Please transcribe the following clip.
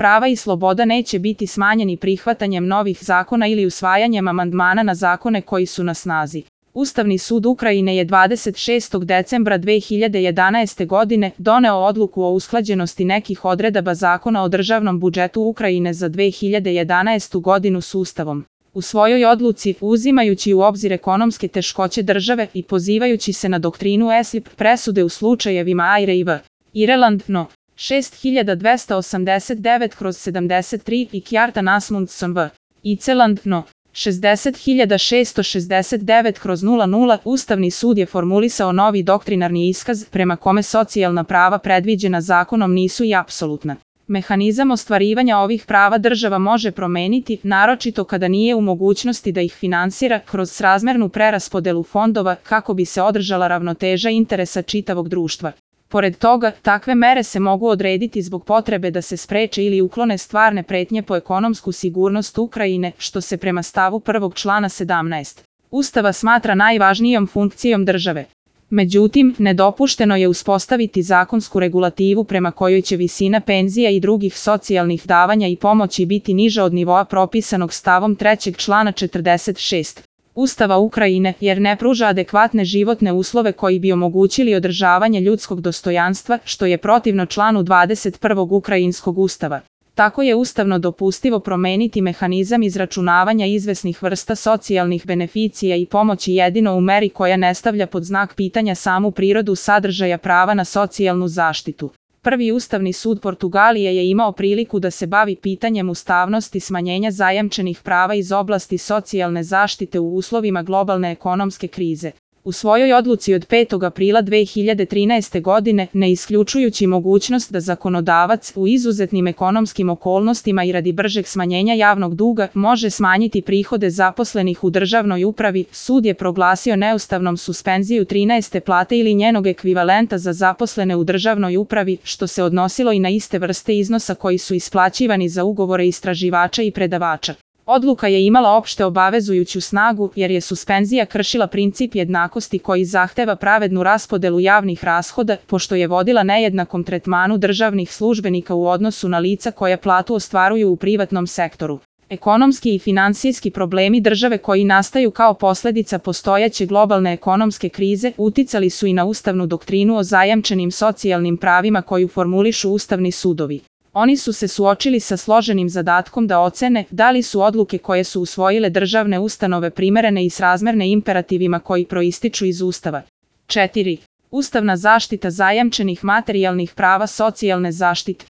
prava i sloboda neće biti smanjeni prihvatanjem novih zakona ili usvajanjem amandmana na zakone koji su na snazi. Ustavni sud Ukrajine je 26. decembra 2011. godine doneo odluku o usklađenosti nekih odredaba Zakona o državnom budžetu Ukrajine za 2011. godinu s Ustavom. U svojoj odluci, uzimajući u obzir ekonomske teškoće države i pozivajući se na doktrinu ESIP presude u slučajevima Aire i V. Ireland No. 6289/73 i Kjartan Asmundsson V. Iceland No. 60669/00 Ustavni sud je formulisao novi doktrinarni iskaz prema kome socijalna prava predviđena zakonom nisu i apsolutna. Mehanizam ostvarivanja ovih prava država može promeniti, naročito kada nije u mogućnosti da ih finansira kroz srazmernu preraspodelu fondova kako bi se održala ravnoteža interesa čitavog društva. Pored toga, takve mere se mogu odrediti zbog potrebe da se spreče ili uklone stvarne pretnje po ekonomsku sigurnost Ukrajine, što se prema stavu 1. člana 17. Ustava smatra najvažnijom funkcijom države. Međutim, nedopušteno je uspostaviti zakonsku regulativu prema kojoj će visina penzija i drugih socijalnih davanja i pomoći biti niža od nivoa propisanog stavom 3. člana 46. Ustava Ukrajine, jer ne pruža adekvatne životne uslove koji bi omogućili održavanje ljudskog dostojanstva, što je protivno članu 21. Ukrajinskog ustava. Tako je ustavno dopustivo promeniti mehanizam izračunavanja izvesnih vrsta socijalnih beneficija i pomoći jedino u meri koja ne stavlja pod znak pitanja samu prirodu sadržaja prava na socijalnu zaštitu. Prvi Ustavni sud Portugalije je imao priliku da se bavi pitanjem ustavnosti smanjenja zajamčenih prava iz oblasti socijalne zaštite u uslovima globalne ekonomske krize. U svojoj odluci od 5. aprila 2013. godine, ne isključujući mogućnost da zakonodavac u izuzetnim ekonomskim okolnostima i radi bržeg smanjenja javnog duga može smanjiti prihode zaposlenih u državnoj upravi, sud je proglasio neustavnom suspenziju 13. plate ili njenog ekvivalenta za zaposlene u državnoj upravi, što se odnosilo i na iste vrste iznosa koji su isplaćivani za ugovore istraživača i predavača. Odluka je imala opšte obavezujuću snagu jer je suspenzija kršila princip jednakosti koji zahteva pravednu raspodelu javnih rashoda, pošto je vodila nejednakom tretmanu državnih službenika u odnosu na lica koja platu ostvaruju u privatnom sektoru. Ekonomski i finansijski problemi države koji nastaju kao posledica postojeće globalne ekonomske krize uticali su i na ustavnu doktrinu o zajamčenim socijalnim pravima koju formulišu ustavni sudovi. Oni su se suočili sa složenim zadatkom da ocene da li su odluke koje su usvojile državne ustanove primerene i srazmerne imperativima koji proističu iz Ustava. 4. Ustavna zaštita zajamčenih materijalnih prava socijalne zaštite.